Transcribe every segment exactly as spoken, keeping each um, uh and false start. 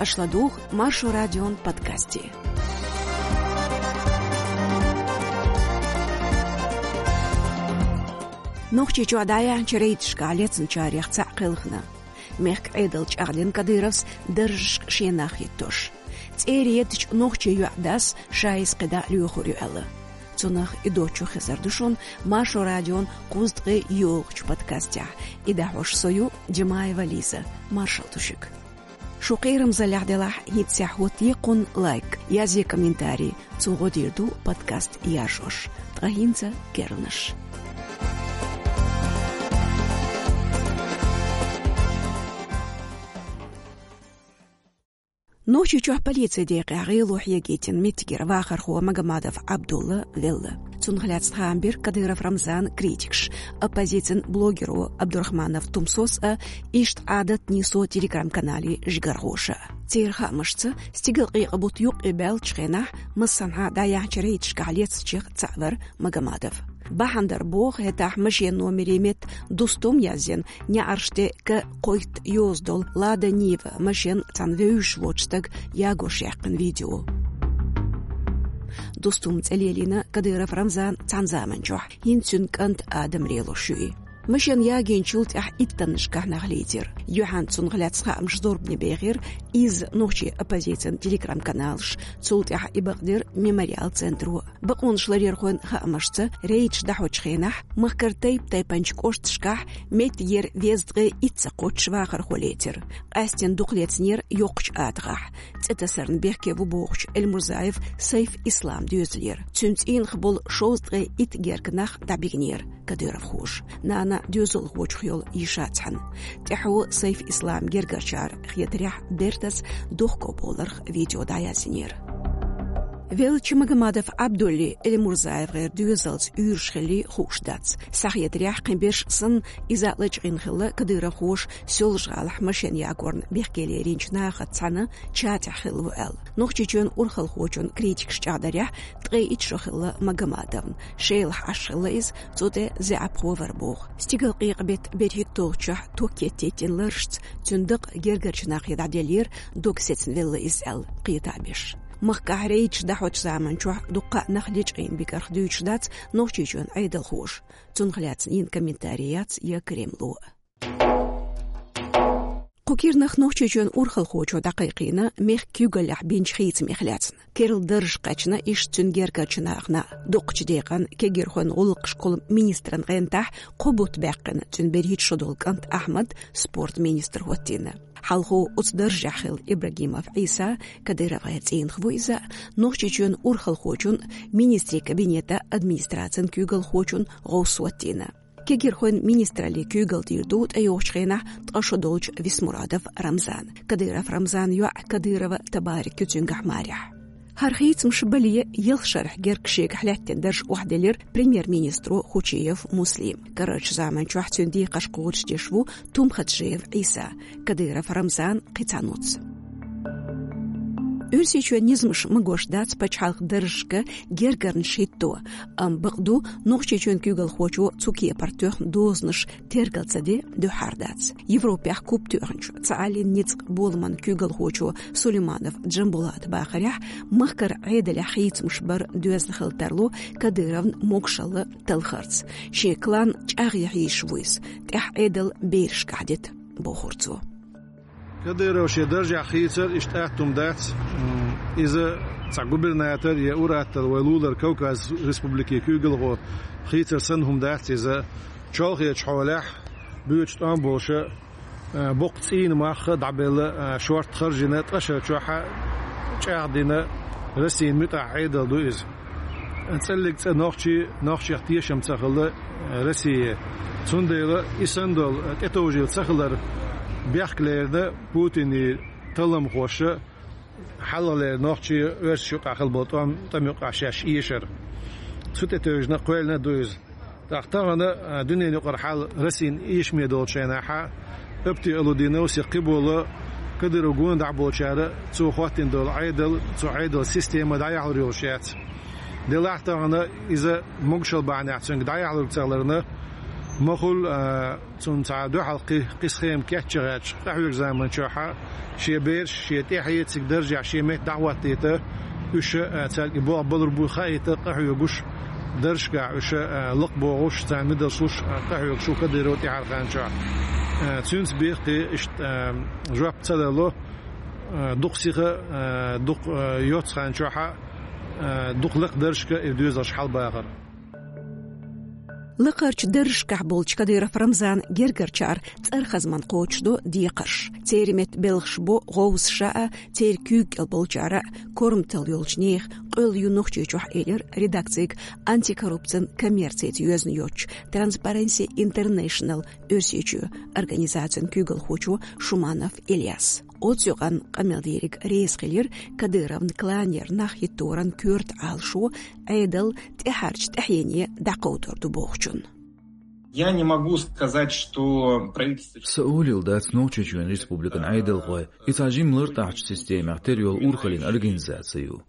Аша ладугӀу Маршо радион подкасте. Нохчийчохь дӀаяьхьначу рейдашкахь лецначарех цхьаъ кхелхина. Мехкан Ӏедал чӀагӀдина Кадыровс даржашка шен нах хӀиттош. ЦӀера еттачу нохчийн йоӀ-дас ша иза кхидӀа а лоьхур ю аьлла. Цунах а доцчух хезар ду шуна Маршо радион кхузткъе йолхачу подкастехь. И дӀахьош со ю, Джамаева Лиза. Маршалла ду шуьга. Шун кхерамзаллехь делахь, хӀинццехь хӀоттае кхунна лайк, язъе комментарий, цо гӀо дийр ду подкаст яржош. Ткъа хӀинца керланаш. Нохчийчохь полицин декъехь гӀело хьегийтина меттигера вахархо Магомадов Абдулла велла. Цунах лаьцна хаам бира Кадыров Рамзана критикаша, оппозицин блогеро Абдурахманов Тумсос а, иштта Ӏадат Нисо телеграм-каналан жигархоша. Церан хаамашца, стигалкъекъа бутт юккъе баьллачу хенахь массанхьа дӀаяьхьначу рейдашкахь лецначех цхьаъ вара Магомадов. Бахьана дар боху, хӀетахь машенан номерийн метта Дустум язйина, неӀарш тӀе К кхойтта йоза долу Лада Нива машен цхьана вевзаш воцу стага ягош яьккхина видео. Дустум цӀе лелийна Кадыров Рамзан цхьана заманчохь, хӀинца цуьнан кӀант Адам лелош ю и. Машен ягийначул тӀаьхьа иттаннашкахь нах лецира. Юьхьанца цунах лаьцна хаамаш зорбане бехира, изза нохчийн оппозицин телеграм-каналаш, цул тӀаьхьа и бакъдира Мемориал центро. Бакъонаш ларъярхойн хаамашца, рейдаш дӀахьочу хенахь махкара тайп-тайпанчу кӀошташкахь меттигера дезткъе итт ца кхоччуш вахархо лецира. Къаьстина дукха лецнера йоккхачу атагӀахь. ЦӀе тасарна бехке ву бохучу Эльмурзаев Сайф-Ислам доьзалера. Цуьнан цӀийнах болу шовзткъе итт гергга нах дӀабигнера кадыровхоша, нана доьзалхочух йолу йиша цхьаьна. ТӀаьхьо Сайф-Ислам гергарчара хетарехь, бертаца дохко боларх видео дӀаяздинера. Веллачу Магомадов Абдуллий ЭльмурзаевгӀеран доьзалца уьйраш хиллий хууш дац. Схьахетарехь, кхин берш санна, иза лачкъийна хилла кадыровхоша Соьлжа-ГӀалахь машен ягорна бехке леринчу нахаца цхьаьна чатехь хилла ву аьлла. Нохчийчоьнан урхалхочун критикаша чӀагӀдарехь, ткъе итт шо хилла Магомадовна. Шелахь Ӏаш хилла иза, цу тӀе заьӀапхо вара боху. Стигалкъекъа беттан берхӀитталгӀачохь ток кеттийтина ларашца цуьнан дакъа гергарчу нахе дӀаделлера, дог сецна велла иза аьлла, кхета а беш. Махкахь рейдаш дӀахьочу заманчохь дуккха а нах лечкъийна бикарх дуьйцуш дац Нохчийчоьнан Ӏедалхоша. Цунах лаьцна йина комментарий яц я Кремло. Кху кирнах Нохчийчоьнан урхалхочо дӀакхайкхийна мехкан куьйгаллехь бинчу хийцамех лаьцна. Керла дарж кхаьчна иштта цуьнан гергарчу нахана а. Дукхачу декъана кегийрхойн гӀуллакхашкахула министран гӀентахь кхо бутт баьккхина цуьнан берхӀитта шо долу кӀант Ахьмад спорт министр хӀоттийна. Хьалхо оцу даржехь хилла Ибрагимов Ӏийса, КадыровгӀеран цӀийнах ву иза, Нохчийчоьнан урхалхочун, министрийн кабинетан администрацин куьйгалхочун гӀовс хӀоттийна. Кегийрхойн министраллин куьйгалла дийр ду тӀейогӀучу хенахь ткъа шо долчу Висмурадов Рамзана. Кадыров Рамзанан йоӀ Кадырова Табарик ю цуьнгахь марехь. ХӀара хийцамаш бале, ялх шарахь герга шегахь лаьттина дарж охьаделира премьер-министро Хучиев Муслима. Карарчу заманчохь цуьнан декхарш кхочушдеш ву Тумхаджиев Ӏийса, Кадыров Рамзан кхин цхьа нуц. Оьрсийчоьнан низамаш магош дац пачхьалкхан даржашка гергарнаш хӀитто, амма бакъду, Нохчийчоьнан куьйгалхочо цу кепара тоьхна дозанаш тергал ца де дуьххьара дац. Европехь куп тоьхначу Цхьааллин ницкъан боламан куьйгалхочо Сулейманов Джамбулата бахарехь, махкара Ӏедалехь хийцамаш бар доьзна хила тарло Кадыровн могушалла талхарца. Шен клан чӀагӀъян хьийзаш ву иза, тӀаьхьа Ӏедал берашкахь дита, бохура цо. Кадыров шен даржехь хийцар иштта атта хӀума дац. М, иза цхьа губернатор я ур-атталла вай лулара Кавказ республикийн куьйгалхо хийцар санна хӀума дац иза. Чолхечу хьолехь буьйцу тӀом болуша, а, боккха цӀийнан мах а дӀабелла, а, шортта харжина, ткъа шарчохь а чӀагӀдина Россин муьтӀахь Ӏедал ду иза. ЦӀеллиг цӀа нохчий, нохчех тешам ца хилла Россия. Цундела и санна долу тӀетовжийла ца хилар бехк лерина Путинан талламхоша, хьалхалера нохчий оьрсашна юкъахь хилла болу тӀом, тӀам юкъахь шаьш эшар. Цу тӀетевжина кхоьллина а ду иза. ТӀаккха тахана, а, дуьненан юкъара хьал Россин эшаме долчу хенахь а, апти алудинов сих кхиболу Кадыров гонах болчара цо хӀоттийна долу Ӏедал, цу Ӏедал система дӀаяхьалур йолуш яц. Делахь тахана иза могушалла бахьанехь цуьнга дӀаяхьалур ца хиларна, Махул, а, цунна цхьа дуьхьал кхи-, кхи схема кечъяьлча, къахьоьгу заман чохь шен бераш, шен тӀаьхье цига даржехь шен метта дӀахӀоттийта, уьш, а, цаьрга и болх балур бу хаийта къахьоьгуш, даржашкахь уьш, а, лакхабохуш, царна медалш луш, а, къахьоьгуш ву Кадыров тӀаьхьарчу хан чохь. А, цуьнца бехке иштта, а, жоп ца далло, а, дукха сиха, а, дукха, а, йоццу хан чохь, а, дукха лакха даржашка и доьзалш хьалабахар. Лакхарчу даржашкахь болчу Кадыров Рамзанан гергарчара цӀархазман кхочушдо декхарш. Церан метта белхаш бо гӀовсаша а, церан куьйга кӀел болчара а, корматалла йолчу нехан къоьлла ю Нохчийчохь, элира редакцига антикоррупцин коммерцица йоьзна йоцучу Transparency International Оьрсийчоь организацин куьйгалхочо Шуманов Ильяс. Оцу юкъанна къамел дийриг реза хилира Кадыровн кланера нах хӀитторан коьрта Ӏалашо, Ӏедал тӀаьхьарчу тӀаьхьене дӀакховдор ду бохучунна. Я не могу сказать, что правительство... Сан олийла дац Нохчийчоьнан республикан Ӏедалхой и цхьа жимма лартӀахьчу системех тера йолу урхаллин организаци ю.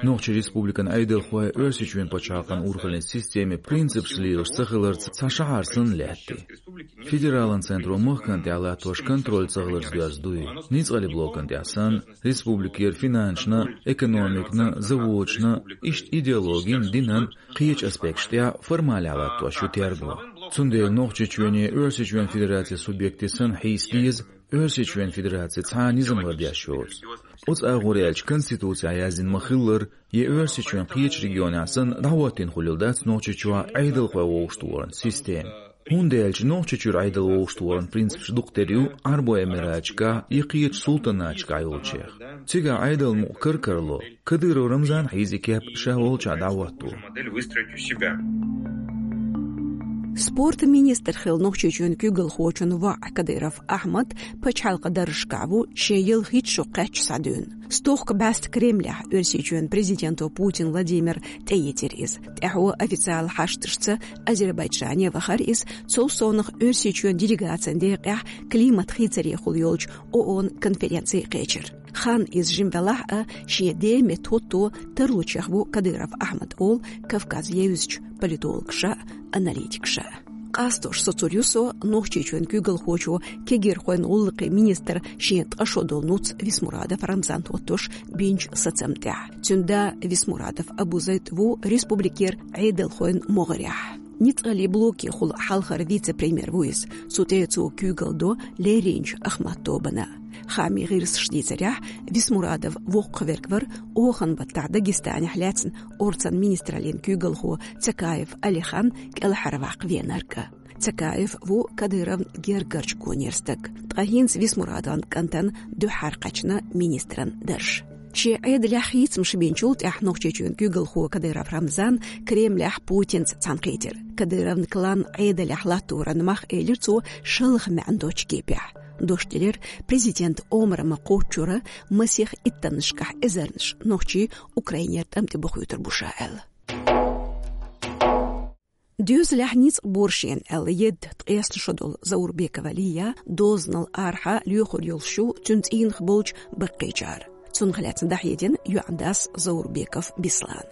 Нохчийн республикан Ӏедалхой Оьрсийчоьнан пачхьалкхан урхаллин системин принципаш лелаш ца хиларца цхьа шахьар санна лаьтта. Федералан центро махкана тӀехь латтош контроль ца хиларца доьзна ду и. Ницкъаллин блокана тӀехь санна, республикера финансашна, экономикана, заводашна, иштта идеологина, динан, кхечу аспекташ тӀехь формалехь латтош ю терго. Цундела Нохчийчоьне Оьрсийчоьнан Федерацин субъекте санна хьийса деза, Оьрсийчоьнан Федераци цхьа а низам лардеш йоцу. Оцу агӀор аьлча, Конституцехь яздина ма-хиллара, я Оьрсийчоьнан кхечу регионехь санна дӀахӀоттийна хуьлийла дац Нохчийчохь Ӏедалхой вовшахтохаран система. ХӀунда аьлча Нохчийчуьра Ӏедал вовшахтохаран принципаш дукха тера ю Ӏарбойн Эмираташкахь я кхечу султанаташкахь йолчех. Цигахь Ӏедалан мукъ кар-карло, Кадыров Рамзан хьийза и кеп ша волчохь дӀахӀотто. Спортан министр хилла Нохчийчоьнан куьйгалхочун воӀ Кадыров Ахьмад пачхьалкхан даржашкахь ву шен ялхитта шо кхаьчча схьадуьйна. Стохка бӀаьста Кремлехь Оьрсийчоьнан президенто Путин Владимира тӀеэцира иза. ТӀаьхьо официалан хьашташца Азербайджане вахара иза, цул совнаха Оьрсийчоьнан делегацин декъехь климат хийцарехула йолчу ООН-ан конференци кхечира. Хан иза жима велахь а, шен ден метта хӀотто тарлучех ву Кадыров Ахьмад олу Кавказ евзачу политологаша а, аналитикаша а. Къастош соцур ю со Нохчийчоьнан куьйгалхочо кегийрхойн гӀуллакхийн министр шен ткъа шо долу нуц Висмурадов Рамзан хӀоттош бинчу сацам тӀехь. Цуьнан да Висмурадов Абузайд ву республикера Ӏедалхойн могӀарехь. Ницкъаллин блокехула хьалхара вице-премьер ву иза. Цу тӀе цо куьйгалла до лерринчу Ахмат тобанна. Хаамийн гӀирсаша дийцарехь, Висмурадов воккхаверг вара оханан баттахь Дагестанехь лаьцна орцан министраллин куьйгалхо Цакаев Алихан кӀелхьарваккха веанарг а. Цакаев ву Кадыровн гергарчу гонера стаг, ткъа хӀинца Висмурадовн кӀантана дуьххьара кхаьчна министран дарж. Шен Ӏедалехь хийцамаш бинчул тӀаьхьа Нохчийчоьнан куьйгалхо Кадыров Рамзан Кремлехь Путинца цхьаьнакхийтира. Кадыровн клан Ӏедалехь латторан мах, элира цо, шалха маьӀна доцчу кепехь. Дош делира президент омра ма-кхоччура масех иттаннашкахь эзарнаш нохчий Украинера тӀам тӀе бохуьйтур бу ша аьлла. Доьзалехь ницкъ бора шена аьлла едда ткъесна шо долу Заурбекова Лия дозанал арахьа лоьхур йолуш ю цуьнан цӀийнах болчу баккхийчара. Цунах лаьцна дӀахьедина йоӀан дас Заурбеков Беслан.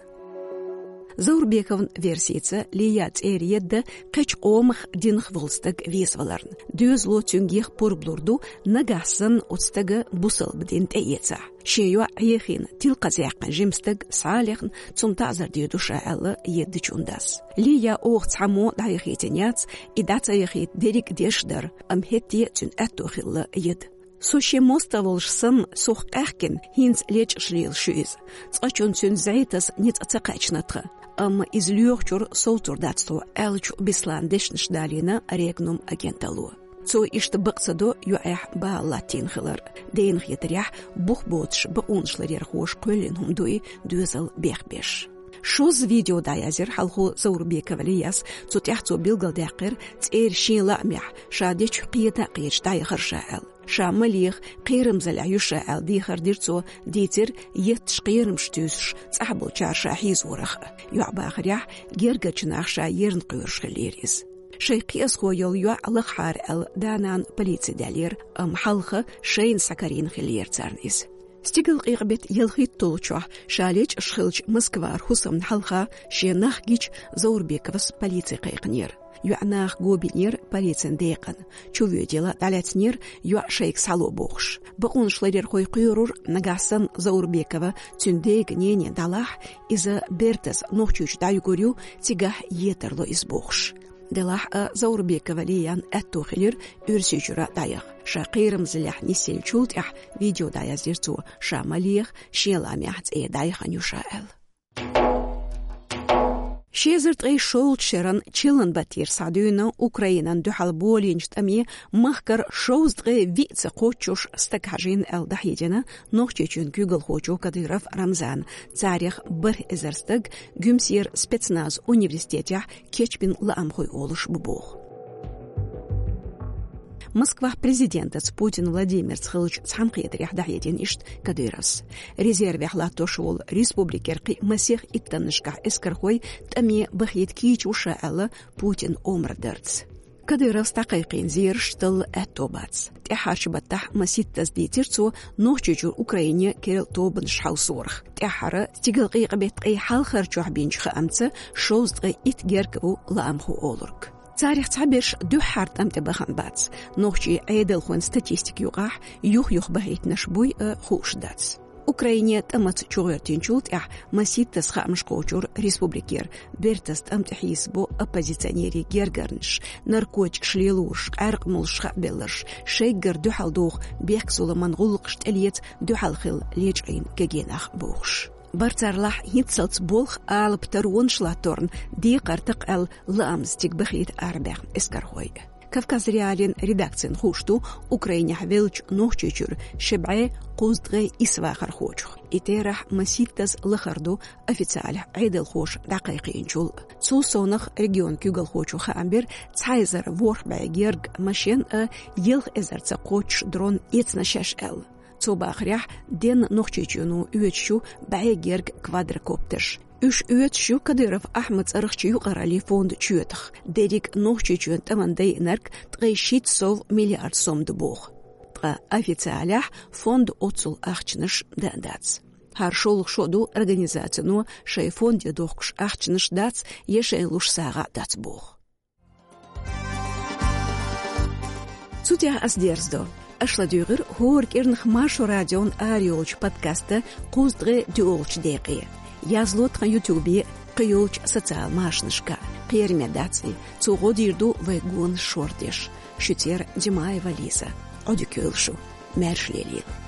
Заурбековн версица, Лия цӀера едда кхечу къомах, динах волу стаг везаваларна. Доьзало цуьнга еха пурба лур ду, нагахь санна оцу стага бусалба дин тӀеэцахь. Шен йоӀ Ӏехийна, тилкхазе яьккхина жима стаг схьа а лехна, цунна таӀзар дийр ду ша аьлла еддачун дас. Лия оха цхьаммо дӀаяхийтина яц, и дӀа ца яхийта дерриг а деш дара, амма хӀетте а цуьнан аьтто хилла едда. Со шен мостагӀа волуш санна, сох къаьхкина, хӀинца лечкъаш лелаш ю иза. Цкъачунна цуьнан зӀе таса ницкъ ца кхаьчна тхан. Амма иза лоьхучуьра совцур дац тхо, аьллачу Беслан дешнаш далийна Регнум агенталло. Цо иштта бакъ ца до йоӀехь бала латтийна хилар. Дена хетарехь, бух боцуш бакъонаш ларъярхоша кхоьллина хӀума ду и доьзал бехбеш. Шозза видео дӀаязйира хьалхо Заурбекова Лияс, цу тӀехь цо билгалдаьккхира цӀера шен лаамехь, ша дечух кхета а кхеташ дӀаяхар ша аьлла. Ша ма леха, кхерамзаллехь ю ша аьлла дехар дира цо, дийцира етташ кхерамаш туьйсуш цӀахьболчара ша хьийзорах а. ЙоӀ бахарехь, гергарчу наха ша ерна кхоьруш хиллера иза. Шайн кхиазхо йолу йоӀ лахахьара аьлла, да-нана полици даьллера, амма хьалха шайна схьакарийна хиллера царна иза. Стигалкъекъа-беттан ялхитталгӀачохь ша лечкъаш хиллачу Москвара хӀусамна хьалха шен нах гича Заурбековас полици кхайкхинера. ЙоӀ наха гобийнера полицин декъана. Чувоьдийла дӀалаьцнера йоӀ шайга схьало бохуш. Бакъонаш ларъярхой кхоьрура, нагахь санна Заурбекова, цуьнан дега нене далахь, иза бертаза Нохчийчу дӀаюьгур ю, цигахь етар ло иза бохуш. Делахь а Заурбекова Лиян аьтто хилира Оьрсийчуьра дӀаяха. Ша кхерамзаллехь нисъеллачул тӀаьхьа видео дӀаяздира цо, ша ма леха, шен лаамехь цӀе дӀаяхана ю ша аьлла. Ши эзар ткъе шолгӀачу шеран чиллан баттера схьадуьйна Украинан дуьхьал болийначу тӀаме махкара шовзткъе виъ ца кхоччуш стаг хьажийна аьлла дӀахьедина Нохчийчоьнан куьйгалхочо Кадыров Рамзана. Царех бархӀ эзар стаг Гуьмсера спецназ университетехь кечбина лаамхой олуш бу боху. Москвахь президентаца Путин Владимирца хиллачу цхьаьнакхетарехь дӀахьедина иштта Кадыровс. Резервехь латтош волу республикера кхин а масех иттаннашкахь эскархой тӀаме бахийта кийча ву ша аьлла Путинан омра дарца. Кадыровс дӀакхайкхийна зераш талла аьтто бац. ТӀаьххьарчу баттахь масийттаза дийцира цо Нохчийчуьра Украине керла тобанаш хьовсорах. ТӀаьххьара стигала къекъа беттан ткъе хьалхарчохь бинчу хаамца шовзткъе итт герга ву лаамхо олург. Царех цхьаберш дуьххьара тӀам тӀе бахана бац. Нохчийн Ӏедалхойн статистика юкъахь юх-юха бахийтинарш буй а хууш дац. Украине тӀамаца чугӀоьртинчул тӀаьхьа масийттаза хаамаш кхочура республикера, бертаза тӀам тӀе хьийсабо оппозиционерийн гергарнаш, наркотикаш лелораш, къаьркъа молуш хаабелларш, шайггара дуьхьал доху бехк-зуламан гӀуллакхаш тӀелеца дуьхьал хила лечкъийна кегий нах бохуш. Барцарлахь хӀинццалц болх алапа таронаш латторна декхар такха аьлла лаамца цига бахийта арабаьхна эскархой. Кавказ.Реалиин редакцина хууш ду Украинехь веллачу Нохчийчуьра ши бӀе кхузткъе исс вахархочух. И терахь масийттаза лахара ду официалехь Ӏедалхоша дӀакхайкхийначул. Цул совнах регионан куьйгалхочо хаам бира цхьа эзар ворхӀ бӀе герга машен а, ялх эзарца кхоччуш дрон эцна шаьш аьлла. Цо бахарехь, денна Нохчийчоьно оьцуш ю бӀе герга квадрокоптерш. Уьш оьцуш ю Кадыров Ахьмадан цӀарахчу юкъараллин фондан чоьтах. Дерриг Нохчийчоьнан тӀамна дайинарг ткъе шийтта сов миллиард сом ду боху. Ткъа официалехь фондан оццул ахчанаш дан а дац. ХӀара шолгӀа шо ду организацино шайн фонде дохкуш ахчанаш дац я шайна луш сагӀа а дац боху. Цу тӀехь ас дерзадо. Аша ладуьйгӀира хӀора кӀирнах Маршо радион арайолчу подкастан кхузткъе доьалгӀачу декъе. Язло тхан ютубе, кхийолчу социал машанашка. Кхераме дац и, цо гӀо дийр ду вай гонаш шордеш. Шуьцера Димаева Лиза. Ӏодика йойла шу. Маьрша лелийла.